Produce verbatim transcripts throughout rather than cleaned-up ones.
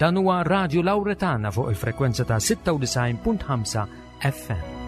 Dan huwa Radio Lauretana fuq il-frekwenza ta' sitta u disgħin punt ħamsa F M.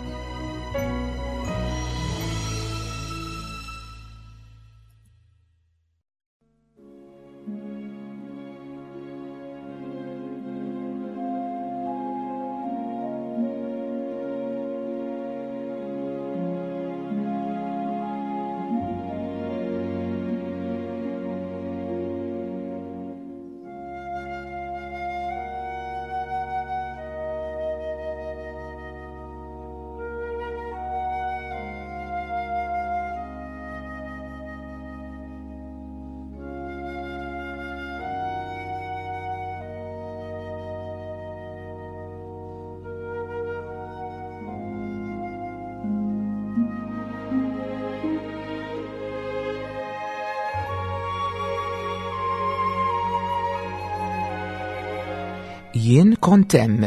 Jien kont hemm.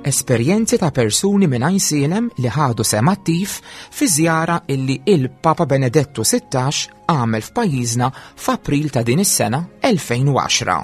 Esperjenzi ta' persuni minn Għajnsielem li ħadu sehem attiv fi żjara illi il-Papa Benedettu sittax għamel f'pajjiżna f'April ta' din is-sena elfejn u għaxra.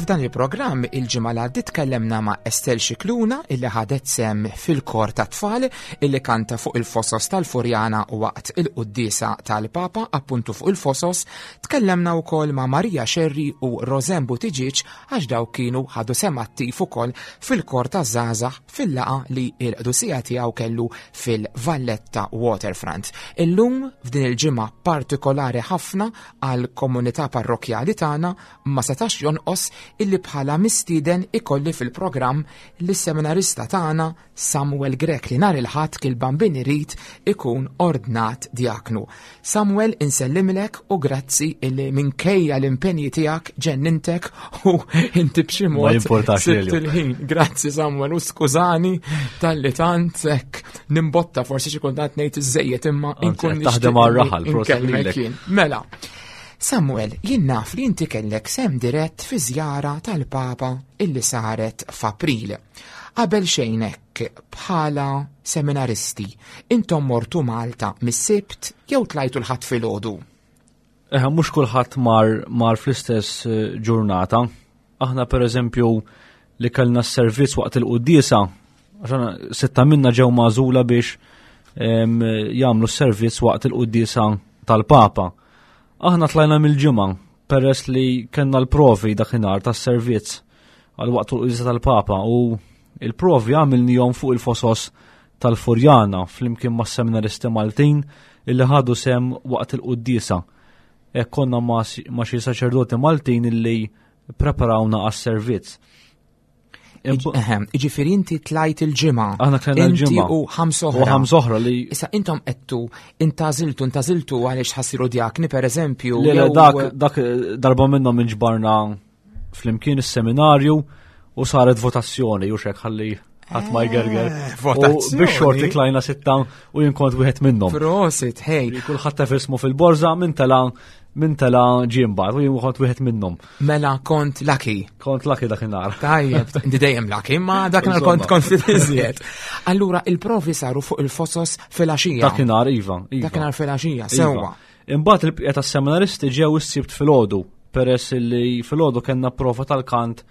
F'dan il-programm il-ġimgħa li għaddiet tkellemna ma' Estelle Scicluna illi ħadet sehem fil-kor ta' tfal illi kanta fuq il-fosos tal-Furjana waqt il-quddiesa tal-Papa appuntu fuq il-fosos. Tkellemna wkoll ma' Maria Scerri u Rosanne Buttigieg għax dawk kienu ħadu sehem attiv ukoll fil-kor ta' żgħażagħ fil-laqgħa li l-qdusija tiegħu kellu fil-Valletta Waterfront. Illum f'din il-ġimgħa partikolari ħafna għall-komunità parrokjali tagħna ma setax jonqos illi bħala mistieden ikolli fil-programm lis-seminarista tagħna Samuel Grech li nhar il-Ħadd kil Bambin irid ikun ordnat diaknu. Samuel, insellimlek u grazzi illi minkejja l-impenji tiegħek ġennintek u inti b'xi Ma mod jimportax sibt lilju. il-ħin. Grazzi Samuel u skużani talli tant hekk nimbotta forsi xi kultant ngħid iżejjed imma Anzi, inkun qed taħdem nixtieq għar-raħal, proset inkellmek lilek. jien. Mela, Samuel, jien naf li inti kellek sehem dirett fi żjara tal-Papa illi saret f'April. Qabel xejn hekk bħala seminaristi, intom mortu Malta mis-Sibt jew tlajtu l-Ħadd filgħodu? Eħe, mhux kulħadd mar, mar fl-istess, eh, ġurnata. Aħna pereżempju li kellna s-servizz waqt il-quddiesa, għax aħna sitta minna ġew magħżula biex, em, jagħmlu s-servizz waqt il-quddiesa tal-Papa. Aħna tlajna mill-ġimgħa peress li kellna l-provi dakinhar tas-servizz għal waqt il-quddiesa tal-Papa u il-provi għamilnihom fuq il-fosos tal-Furjana flimkien mas-seminaristi Maltin illi ħadu sehem waqt il-quddiesa. Hekk konna ma' si-, ma' xi saċerdoti Maltin illi preparawna għas-servizz. Iġ-, ehem, iġifieri inti tlajt il-ġimgħa. Aħna tlajna Inti l-ġimgħa. u ħamsa U oħra. ħamsa oħra li Issa intom qedtu intażiltu, intażiltu għaliex ħassiru djakni pereżempju, Le, le, jew dak, dak darba minnhom inġbarna flimkien is-seminarju u saret votazzjoni u xek ħalli ħadd ma jgerger. Eh, U votazzjoni. biex xorti tlajna sitta u jien kont wieħed minnhom. Prosit, hej. Kulħadd taf ismu fil-borża minn tela minn tela ġie mbagħad u jien kont wieħed minnhom. Mela kont lucky. Kont lucky dakinhar. Tajjeb, inti dejjem lucky, ma dakinhar kont Insomma. kont iżjed. Allura il-provi saru fuq il-fosos filgħaxija. Dakinhar, iva, iva. Dakinhar filgħaxija, Iva. sewwa. Imbagħad il-bqija tas-seminaristi ġew is-Sibt filgħodu, peress li filgħodu kellna prova tal-kant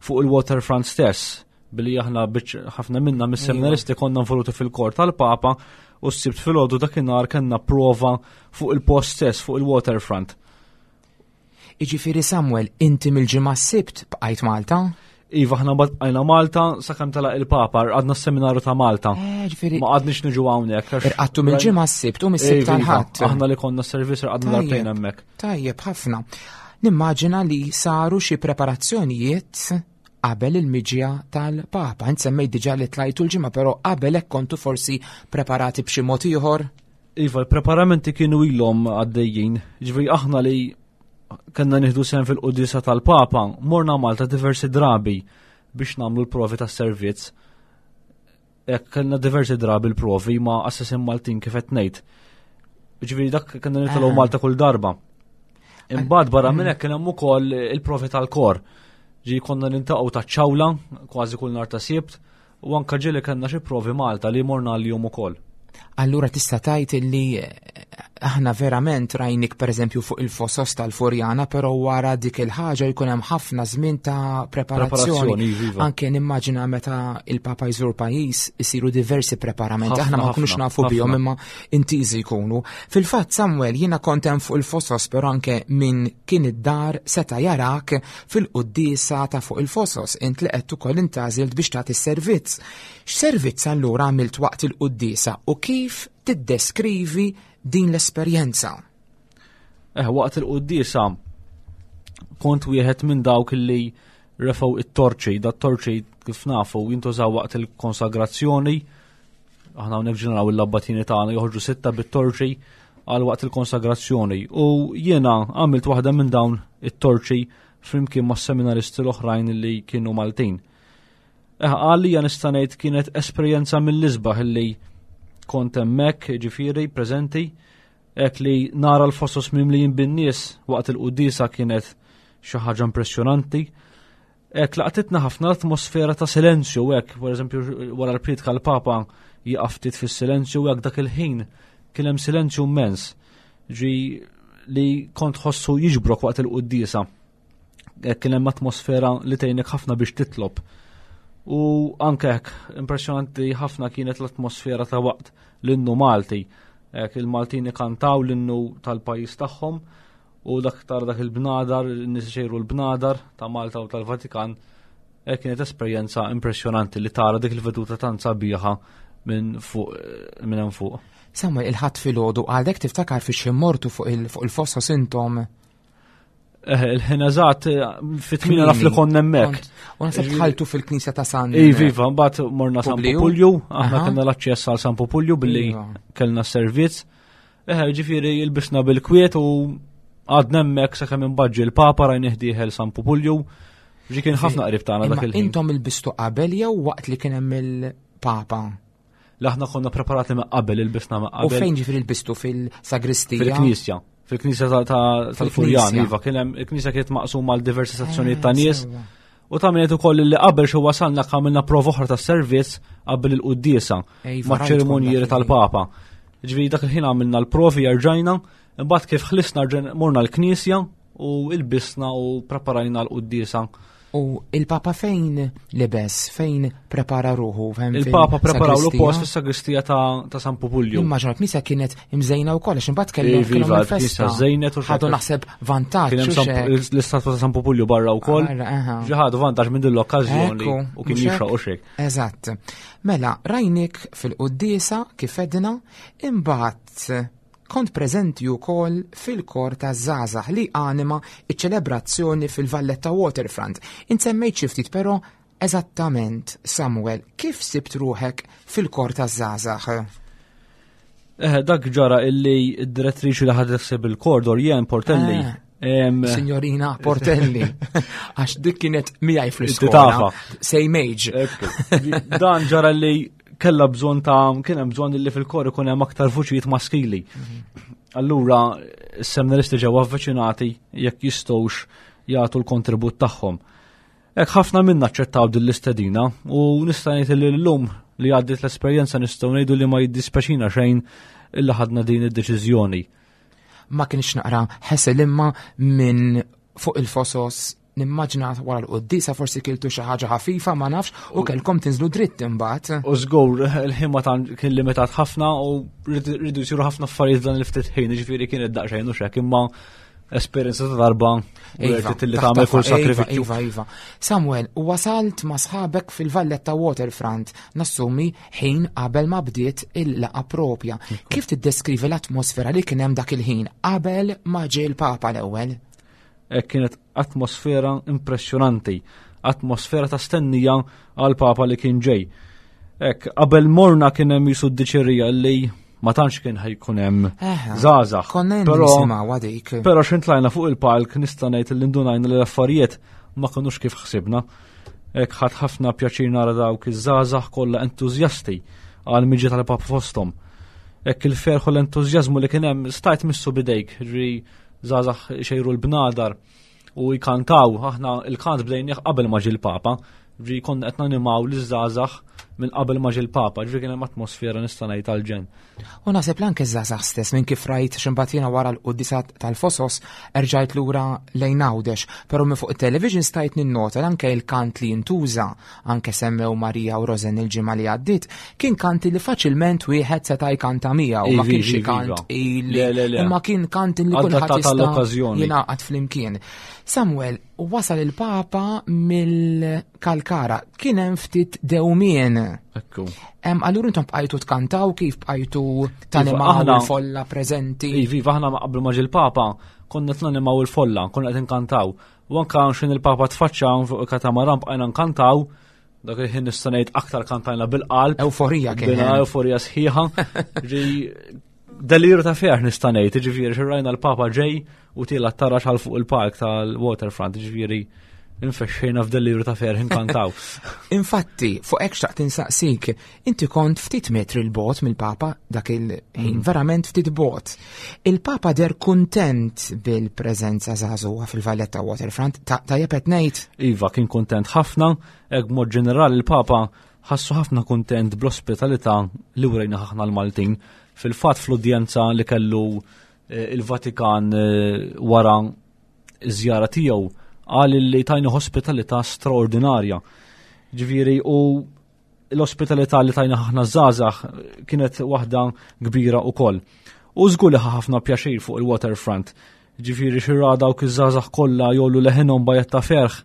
fuq il-Waterfront stess, billi aħna biċ-, ħafna minna mis-seminaristi konna involuti fil-kor tal-Papa u s-Sibt filgħodu dakinhar kellna prova fuq il-post stess, fuq il-Waterfront. Iġifieri Samuel, inti mill-ġimgħa s-Sibt bqajt Malta? Iva, aħna bqajna Malta sakemm telaq il-Papa, għadna s-seminaru ta' Malta. Eh, ġifieri Ma għadniex niġu hawnhekk, għax Irqattu mill-ġimgħa s-Sibt u mis-Sibt Iva, iva, tal-Ħadd. Aħna li konna s-servizz irqadna Tajjeb. darbtejn hemmhekk. Tajjeb ħafna. Nimmaġina li saru xi preparazzjonijiet qabel il-miġja tal-Papa. Int semmejt diġà li tlajtu l-ġimgħa, però qabel hekk kontu forsi preparati b'xi mod ieħor? Iva, l-preparamenti kienu ilhom għaddejjin. Ġifieri aħna li kellna nieħdu sehem fil-quddiesa tal-Papa, morna Malta diversi drabi biex nagħmlu l-provi tas-servizz. Hekk kellna diversi drabi l-provi ma' assassin Maltin kif qed ngħid. Ġifieri dak konna nitilgħu Malta kull darba. Imbagħad barra minn hekk kien hemm ukoll il-provi tal-kor. Ġi konna niltaqgħu ta' ċawla kważi kull nhar ta' Sibt u anke ġieli kellna xi provi Malta li morna l-jum ukoll. Allura tista' tgħid li aħna verament rajnik pereżempju fuq il-fosos tal-Furjana, però wara dik il-ħaġa jkun hemm ħafna żmien ta' preparazzjoni. Iva. Anke nimmaġina meta il-Papa jżur pajjiż isiru diversi preparamenti, aħna ma nkunux nafu bihom imma intiżi jkunu. Fil-fatt Samuel, jiena kont hemm fuq il-fosos, però anke min kien id-dar seta' jarak fil-quddiesa ta' fuq il-fosos, int li qed ukoll intgħażilt biex tagħti s-servizz. X'servizz allura għamilt waqt il-quddiesa u kif tiddeskrivi din l-esperjenza? Eh, waqt il-quddiesa kont wieħed minn dawk li refgħu it-torċi, da torċi kif nafu jintużaw waqt il-konsagrazzjoni. Aħna hawnhekk ġeneraw il-labbatini tagħna joħorġu sitta bit-torċi għal waqt il-konsagrazzjoni. U jiena għamilt waħda minn dawn it-torċi flimkien ma' seminaristi l-oħrajn li kienu Maltin. Eh, għalija nista' ngħid kienet esperjenza mill-isbaħ li kont hemmhekk, ġifieri preżenti, hekk li nara l-fosos mimlijin bin-nies waqt il-quddiesa kienet xi ħaġa impressjonanti. Hekk laqtitna ħafna l-atmosfera ta' silenzju, hekk, pereżempju wara l-priedka l-Papa jieqaf ftit fis-silenzju, hekk dak il-ħin kien hemm silenzju immens ġi li kont ħossu jiġbrok waqt il-quddiesa. Hekk kien hemm atmosfera li tgħinek ħafna biex titlob. U anke hekk impressjonanti ħafna kienet l-atmosfera ta' waqt l-innu Malti. Hekk il-Maltin ikantaw l-innu tal-pajjiż tagħhom u dak tara dak il-bnadar, in-nies ixejru l-bnadar ta' Malta u tal-Vatikan. Hekk kienet esperjenza impressjonanti li tara dik il-veduta tant sabiħa minn fuq, minn hemm fuq. Samuel, il-Ħadd filgħodu għadek tiftakar fi xi mortu fuq il-fosos intom? Eh, il-ħin eżatt, fit-tmienja naf li konna hemmhekk. U naħseb dħaltu fil-knisja ta' San Iva, iva, mbagħad morna San Populju, aħna kellna l-aċċess għal San Populju billi Iva. kellna s-servizz. Eh, ġifieri ilbisna bil-kwiet u għadna hemmhekk sakemm imbagħad ġie l-Papa rajnieh dieħel San Populju. Ġi kien ħafna qrib tagħna dak il-ħin. Intom ilbistu qabel jew waqt li kien hemm il-Papa? Aħna konna preparati ma' qabel, ilbisna ma' U qabel. fejn ġifieri ilbistu fil-sagristija? Fil-knisja. Fil-knisja ta', ta, tal-Furjan, Fil-knisja. iva, kien hemm il-knisja kienet maqsuma għal diversi sezzjonijiet ta' Eh, nies. sewwa. U ta' minnet ukoll li qabel xi wasalna għamilna prova oħra tas-servizz qabel il-quddiesa Ejva, ma' rajt ċerimonjieri kont dak tal-Papa. Ġifieri dak il-ħin għamilna l-provi rġajna, imbagħad kif ħlisna rġen- morna l-knisja u ilbisna u preparajna l-quddiesa. U il-Papa fejn libes, fejn prepara ruħu? Fejn Il-Papa preparaw l fil-sagristija? post fis-sagristija ta', ta' San Pupulju. Immaġina l-knisja kienet imżejna wkoll, għax imbagħad kellhom Iva, kellhom iva, il-festa. l-knisja żejnet u Ħadu xekk. naħseb vantaġġ. Kien hemm u San- xek. l-istatwa ta' San Pupulju barra wkoll. Barra, aha. Ġi ħadu vantaġġ minn din l-okkażjoni Ekku, u kien mhux jixraq hekk? u xek. Eżatt. Mela, rajnik fil-quddiesa kif edna, imbagħad kont preżenti wkoll fil-kor ta' żgħażagħ li anima iċ-ċelebrazzjoni fil-Valletta Waterfront. Insemmejt xi ftit però eżattament, Samuel, kif sibt ruħek fil-kor ta' żgħażagħ? Eh, dak ġara illi id-direttriċi li ħadet ħsieb il-kor Dorian Portelli. Ah. Em, Signorina Portelli, għax dik kienet miegħi fl-iskola. Titafa. Same age. Ekku. Dan ġara li kella bżonn ta' kien hemm bżonn li fil-kor ikun hemm aktar vuċijiet maskili. Allura s-seminaristi ġew avviċinati jekk jistgħux jagħtu l-kontribut tagħhom. Hekk ħafna minna aċċettaw din l-istedina u nista' ngħid li llum li għaddiet l-esperjenza nistgħu ngħidu li ma jiddispeċina xejn illa ħadna din id-deċiżjoni. Ma kienx naqra ħesel imma minn fuq il-fosos nimmaġina wara l-quddiesa forsi kiltu xi ħaġa ħafifa ma nafx u kellkom tinżlu dritt imbagħad. U żgur il-ħin ma tant kien limitat ħafna u rridu rridu jsiru ħafna affarijiet dan il-ftit ħin, ġifieri kienet daqsxejn u xek, imma esperjenza ta' darba u Iva, li tagħmel kull taħtafa, sakrifiċċju. Iva, iva. Samuel, u wasalt ma' sħabek fil-Valletta Waterfront, nassumi ħin qabel ma bdiet il-laqa propja. Kif tiddeskrivi l-atmosfera li kien hemm dak il-ħin qabel ma ġie l-Papa l-ewwel? Hekk kienet atmosfera impressjonanti, atmosfera ta' stennija għal Papa li kien ġej. Hekk qabel morna kien hemm jisu d-diċerija li ma tantx kien ħajkun hemm Eħe, żgħażagħ. Konna Però- nisimgħu dik. Però x'int tlajna fuq il-palk nista' ngħid li ndunajna li l-affarijiet ma kinux kif ħsibna. Hekk ħadd ħafna pjaċir nara dawk iż-żgħażagħ kollha entużjasti għal miġja tal-Papa fosthom. Hekk il-ferħ u l-entużjażmu li kien hemm stajt missu bidejk, ġri żgħażagħ xejru l-bnadar u jkantaw, aħna il-kant bdejnieh qabel ma ġie l-Papa, ġri konna qed nanimaw liż-żgħażagħ minn qabel ma ġie l-Papa, ġri kien hemm atmosfera nista' ngħid tal-ġenn. U naħseb anke żgħażagħ stess minn kif rajt x'imbagħad jiena wara l-quddiesa tal-Fosos erġajt lura lejn Għawdex, però minn fuq it-television stajt ninnota anke il-kant li jintuża, anke semmew Marija u Rosen il-ġimgħa li għaddiet, kien kanti li faċilment wieħed seta' jkanta miegħu, ma Ivi, kienx ivi, kant iva. ili Le, le, le. imma kien kant li kulħadd Adattat jista' għall-okkażjoni. jingħaqad flimkien. Samuel, wasal il-Papa mill-Kalkara, kien hemm ftit dewmien. Ekku. Em, allura intom bqajtu tkantaw kif bqajtu tanimaw aħna- il-folla preżenti? Ivi, iva, aħna ma qabel ma ġie l-Papa, konna qed nanimaw il-folla, konna qed inkantaw. U anka xin il-Papa tfaċċa fuq il-katamaran bqajna nkantaw, dak il-ħin nista' ngħid aktar kantajna bil-qalb. Euforija kien Bina hemm. euforija sħiħa. Ġi deliru ta' ferħ nista' ngħid, ġifieri xi rajna l-Papa ġej u tiela tarax għal fuq il-park tal-waterfront, ġifieri infexxejna f'deliru ta' ferħ inkantaw. Infatti, fuq hekk xtaqt insaqsik, inti kont ftit metri 'l bogħod mill-Papa dak il-ħin, Mm. verament ftit bogħod. Il-Papa deher kuntent bil-preżenza żagħżugħa fil-Valletta Waterfront, ta' tajjeb qed ngħid? Iva, kien kontent ħafna, hekk b'mod ġenerali il-Papa ħassu ħafna kontent bl-ospitalità li wrejna ħafna l-Maltin. Fil-fatt fl-udjenza li kellu eh, il-Vatikan eh, wara iż-żjara tiegħu qal li tajna ospitalità straordinarja. Ġifieri u l-ospitalità li tajna ħafna żgħażagħ kienet waħda kbira ukoll. U żgur li ħa ħafna pjaċir fuq il-waterfront. Ġifieri xi ra dawk iż-żgħażagħ kollha jgħollu leħinhom b'għajat ta' ferħ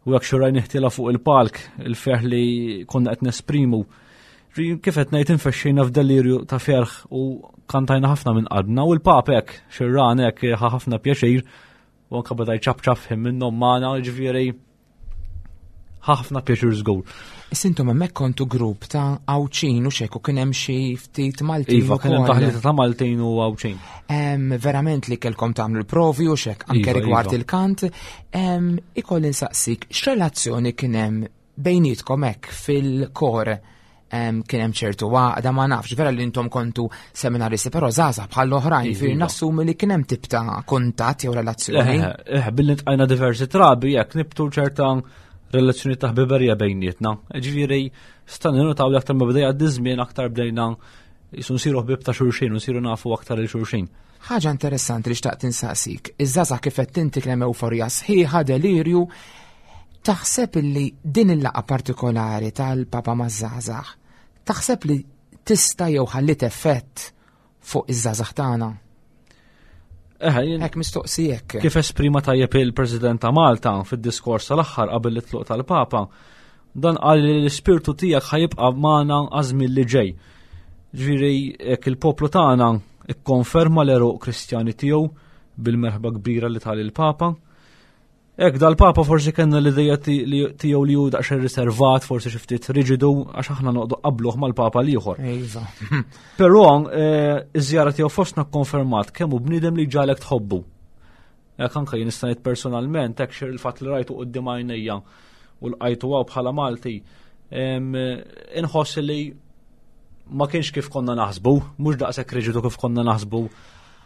u jekk xi rajna ħtila fuq il-palk, il-ferħ li konna qed nesprimu. Ġi, kif qed ngħid infexxejna f'delirju ta' ferħ u kantajna ħafna minn qalbna u l-Papa hekk xi ran hekk ħa ħafna pjaċir u anke beda jċapċap ħin minnhom magħna, ġifieri ħafna pjaċir żgur. Issa intom hemmhekk kontu grupp ta' Għawdxin u xek u kien hemm xi ftit Maltin Iva, kien hemm ukoll. taħlita ta' Maltin u Għawdxin. Em, verament li kellkom tagħmlu l-provi u xek anke Iva, rigward iva. il-kant. Em, ikolli nsaqsik, x'relazzjoni kien hemm bejnietkom hekk fil-kor? Em, kien hemm ċertu għaqda ma nafx, vera li intom kontu seminaristi, però żgħażagħ bħal oħrajn, Iva, fir iva. nassumi li kien hemm tip ta' kuntatt jew relazzjoni. Eh, eh, billi ntqajna diversi drabi, jekk nibtu ċerta relazzjoni ta' ħbiberija bejnietna. Ġifieri, stajna ninnutaw li aktar ma bdejja żmien aktar bdejna jisu nsiru ħbieb ta' xulxin u nsiru nafu aktar il xulxin. Ħaġa interessanti li xtaqt insaqsik, iż-żgħażagħ kif qed inti kien hemm euforija sħiħa, delirju, taħseb illi din il-laqgħa partikolari tal-Papa maż-żgħażagħ, taħseb li tista' jew ħallit effett fuq iż-żgħażagħ tagħna? Eh, jien- Hekk mistoqsijek. Kif esprima tajjeb il-President ta' Malta fid-diskors tal-aħħar qabel it-tluq tal-Papa, dan qal li l-ispirtu tiegħek ħa jibqa' magħna għaż-żmien li ġej. Ġifieri jekk il-poplu tagħna ikkonferma l-għeruq Kristjani tiegħu bil-merħba kbira li tal il-Papa. Ek dal-Papa forsi kellna l-idea ti- li- tiegħu li hu daqsxejn riservat, forsi xi ftit riġidu għax aħna noqogħdu qabluh mal-Papa l-ieħor. Iva. Però eh, iż-żjara tiegħu fostna kkonfermat kemm hu bniedem li ġalek tħobbu. Hekk anke jien nista' ngħid personalment hekk xi il-fatt li rajtu quddiem għajnejja u lqajtu hawn bħala Malti, em, inħoss li ma kienx kif konna naħsbu, mhux daqshekk riġidu kif konna naħsbu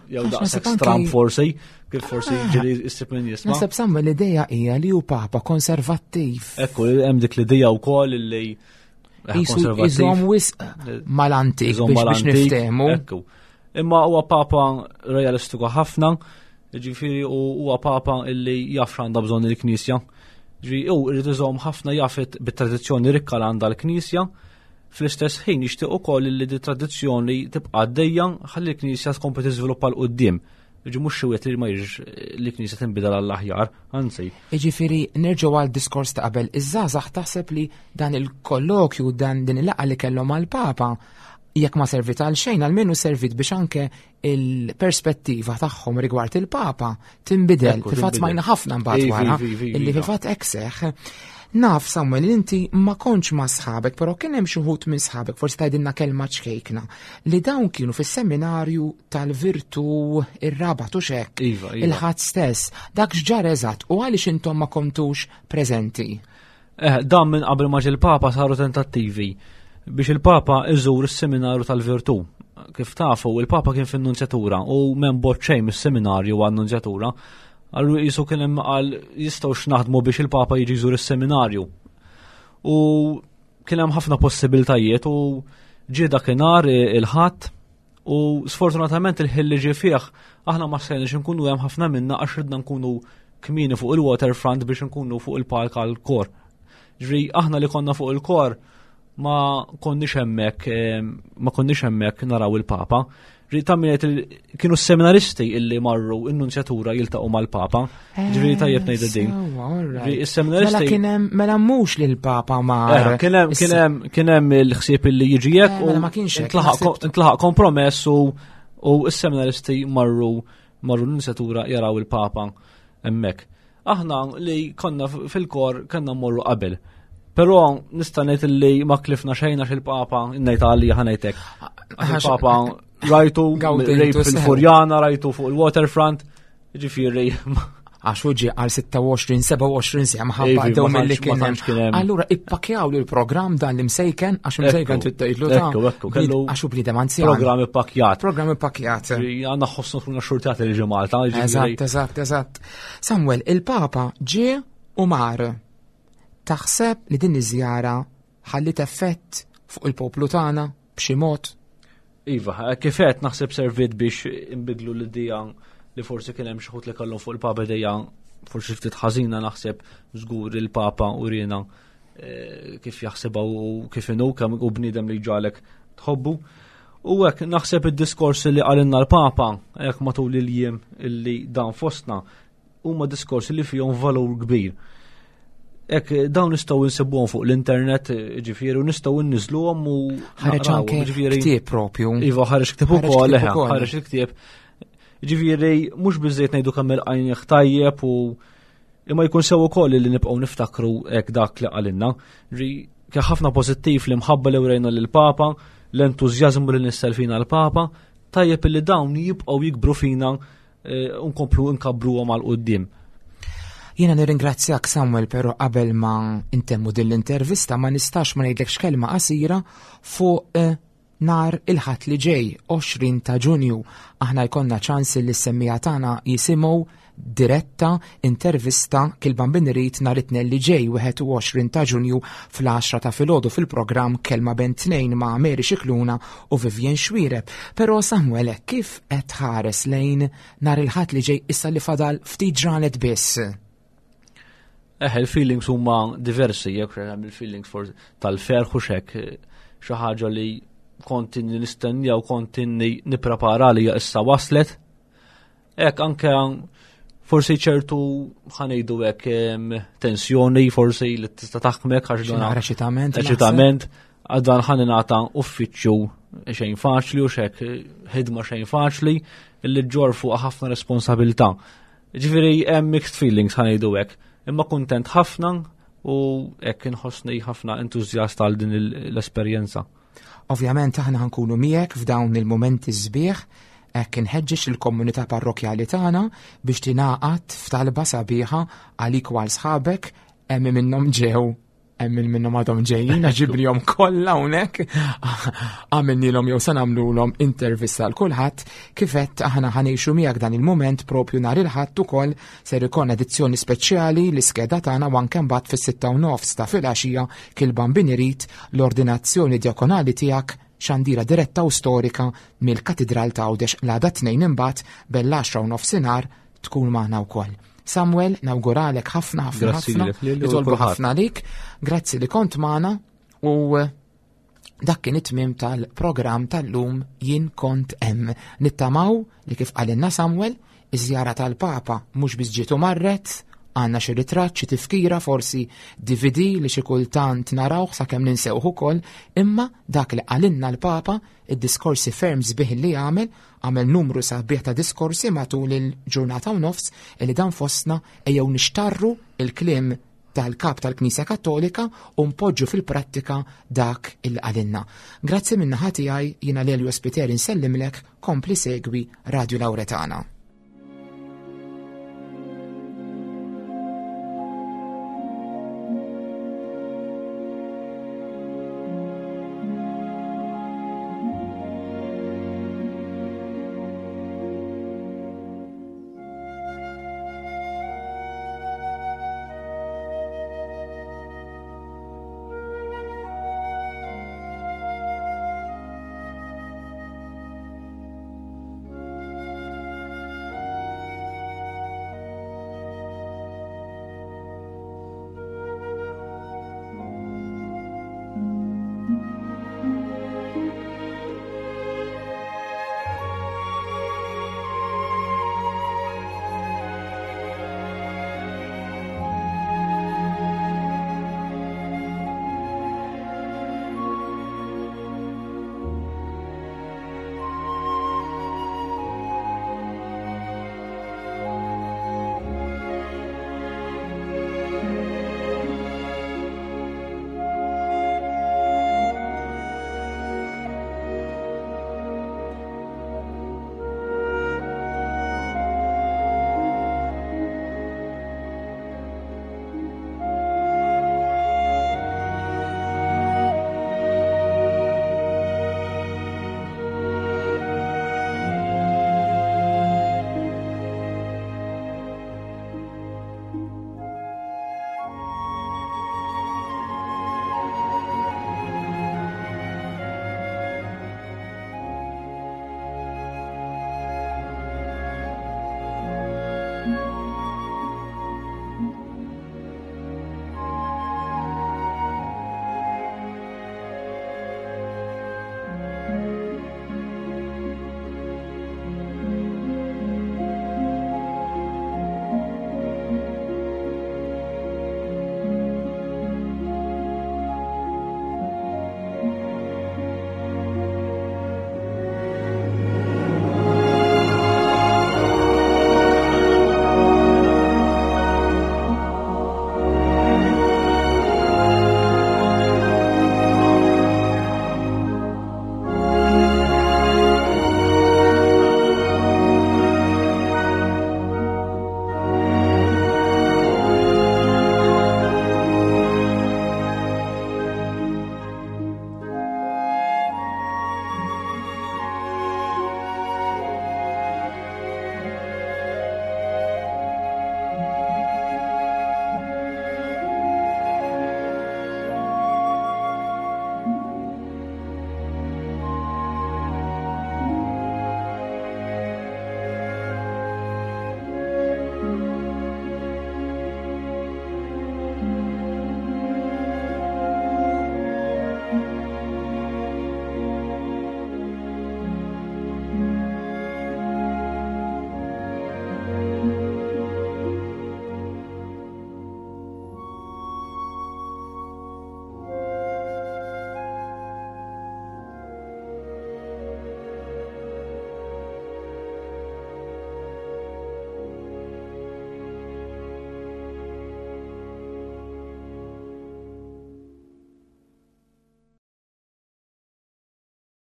jew Għax daqshekk naħseb anki- stram forsi, kif forsi ġieli issib min jisma'. Naħseb Samuel l-idea hija li hu Papa konservattiv. Ekku, hemm dik l-idea wkoll illi eh, Jisu konservattiv. iżomm wisq mal-antik Iżomm biex biex mal-antik, niftehmu. Ekku. Imma huwa papa realistiku ħafna, ġifieri u huwa papa illi jaf x'għandha bżonn il-Knisja. Ġifieri hu irid iżomm ħafna jafet bit-tradizzjoni rikka li għandha l-Knisja, fl-istess ħin jixtieq ukoll li di tradizzjoni tibqa' għaddejja ħalli l-Knisja tkompli tiżviluppa 'l quddiem. Ġi mhux xi wieħed li ma jridx li l-Knisja tinbidel għall-aħjar, anzi. Iġifiri, nerġgħu għal diskors ta' qabel, iż-żgħażagħ taħseb li dan il-kollokju, dan din il-laqgħa li kellhom mal-Papa, jekk ma servit għal xejn, almenu servit biex anke il-perspettiva tagħhom rigward il-Papa tinbidel. Ekku, Fil-fatt tinbidel. smajna ħafna mbagħad Ivi, wara, ivi, ivi, illi iva. fil-fatt hekk seħħ. Naf Samuel li inti ma kontx ma' sħabek, però kien hemm xi wħud minn sħabek, forsi tgħidilna kelma ċkejkna, li dawn kienu fis-seminarju tal-Virtu ir-Rabat u xek. Iva, iva. Il-ħadd stess, dak x'ġar eżatt u għaliex intom ma kontux preżenti. Eh, dan minn qabel ma ġie l-Papa saru tentattivi biex il-Papa iżur is-seminarju tal-Virtu. Kif tafu, il-Papa kien fin-nunzjatura u m'hemm bogħod xejn mis-seminarju għan-nunzjatura. Allura jisu kien hemm qal jistgħux naħdmu biex il-Papa jiġi jżur is-seminarju. U kien hemm ħafna possibiltajiet u ġie dakinhar il-Ħadd u sfortunatament il-ħin li ġie fih aħna ma stajniex nkunu hemm ħafna minna għax ridna nkunu kmieni fuq il-waterfront biex nkunu fuq il-palk għal-kor. Ġri aħna li konna fuq il-kor ma konniex hemmhekk ma konniex hemmhekk naraw il-Papa. Ġri tammiet kienu s-seminaristi illi marru in-nunzjatura jiltaqgħu mal-Papa. Ġri tajjeb ngħidu din. Ġri is-seminaristi. Mela kien hemm mela mhux li l-Papa mar. Kien hemm kien hemm kien hemm il-ħsieb illi jiġi hekk u mela ma kienx intlaħaq kompromess u u s-seminaristi marru marru l-nunzjatura jaraw il-Papa hemmhekk. Aħna li konna fil-kor kellna mmorru qabel. Però nista' ngħid li ma klifna xejn għax il-Papa ngħid għalija ħa ngħidlek. Il-Papa rajtu rejt fil-Furjana, rajtu fuq il-waterfront, ġifieri. Għax hu ġie għal sitta u għoxrin, sebgħa u għoxrin siegħa minħabba dew mill-li kien hemm. Allura ippakjaw li l-programm dan li msejken, għax msejken trid tgħidlu ta' Ekku, ekku, kellu għax hu bniedem anzjan. Programm ippakjat. Programm ippakjat. Għandna ħossnu tkun xurtjat li ġie Malta, ġifieri. Eżatt, eżatt, eżatt. Samuel, il-Papa ġie u mar. Taħseb li din iż-żjara ħallit effett fuq il-poplu tagħna b'xi mod? Iva, kif qed naħseb servit biex inbidlu l-idea li forsi kien hemm xi ħut li kellhom fuq il-Papa idea forsi ftit ħażina, naħseb żgur il-Papa urina kif jaħsibha u kif inhu kemm hu bniedem li ġalek tħobbu. U hekk naħseb id-diskors li qalilna l-Papa hekk matul il-jiem illi dan fostna huma diskorsi li fihom valur kbir. Ek dawn nistgħu nsibuhom fuq l-internet, ġifieri, u nistgħu nniżluhom u ħareġ naqrawhom, anke ġifieri. ktieb propju. Iva, ħareġ ktieb Ħareġ ukoll, ktieb eħe, ukoll. ħareġ il-ktieb. Ġifieri, mhux biżejjed ngħidu kemm il-qajnieh tajjeb u imma jkun sew ukoll li nibqgħu niftakru hekk dak li qalilna. Ġi kien ħafna pożittiv li mħabba li wrejna lill-Papa, l-entużjażmu li nissel fina l-Papa, tajjeb li dawn jibqgħu jikbru fina, eh, u nkomplu nkabbruhom għal quddiem. Jiena nirringrazzjak Samuel, però qabel ma intemmu din l-intervista ma nistax ma ngħidlekx kelma qasira fuq, eh, nar il-Ħadd li ġej, għoxrin ta' Ġunju. Aħna jkollna ċans li s-semmija tagħna jisimgħu diretta intervista Kilban Binrit nhar it-Tnejn li ġej, wieħed u għoxrin ta' Ġunju fl-għaxra ta' filgħodu fil-programm Kelma Bejn Tnejn ma' Mary Scicluna u Vivian Xuereb. Però Samuel, kif qed tħares lejn nhar il-Ħadd li ġej issa li fadal ftit ġranet biss? Eh, il-feelings huma diversi, jekk hemm il-feelings for tal-ferħ u xek, xi ħaġa li kont inni nistennija u kont inni nipprepara li issa waslet. Hekk anke forsi ċertu ħanejdu hekk, em, tensjoni forsi li tista' taħkmek għax Xi dan naqra eċitament, naħseb. Eċitament, għax dan ħa ningħata uffiċċju xejn faċli u xek ħidma xejn faċli li ġġorr fuq ħafna responsabilità. Ġifieri hemm mixed feelings ħanejdu hekk. Imma kuntent ħafna u hekk inħossni ħafna entużjast għal din il-, l-esperjenza. Ovvjament aħna ħankunu miegħek f'dawn il-mumenti sbieħ, hekk inħeġġeġ il-komunità parrokjali tagħna biex tingħaqad f'talba sabiħa għalik u għal sħabek, hemm minnhom ġew, hemm minnhom għadhom ġejjin, ġiblihom kollha hawnhekk. Għamilnilhom jew se nagħmlulhom intervista għal kulħadd, kif qed aħna ħanejxu miegħek dan il-mument propju nhar il-Ħadd ukoll ser ikollna edizzjoni speċjali l-iskeda tagħna u anke mbagħad fis-sitta u nofs ta' filgħaxija Kilban Binirit l-ordinazzjoni djakonali tiegħek xandira diretta u storika mill-Katidral ta' Għawdex l-għada tnejn imbagħad bell-għaxra u nofsinhar tkun magħna wkoll. Samuel, nawguralek ħafna, ħafna, Grazzi ħafna. lilek, lili u Nitolbu kulħadd. ħafna għalik. Grazzi li kont magħna u dak kien it-tmiem tal-programm tal-lum Jien Kont Hemm. Nittamaw li kif qalilna Samuel, iż-żjara tal-Papa mhux biss ġiet u marret, għandna xi ritratt, xi tifkira, forsi D V D li xi kultant narawh sakemm ninsewh ukoll, imma dak li qalilna l-Papa, id-diskorsi ferm sbieħ li għamel, għamel numru sabiħ ta' diskorsi matul il-ġurnata u nofs, li dan fostna ejjew nixtarru il-kliem tal-kap tal-Knisja Kattolika u npoġġu fil-prattika dak il qalilna. Grazzi min-naħa tiegħi, jiena Lelio Spiteri nsellimlek, kompli segwi Radio Lauretana.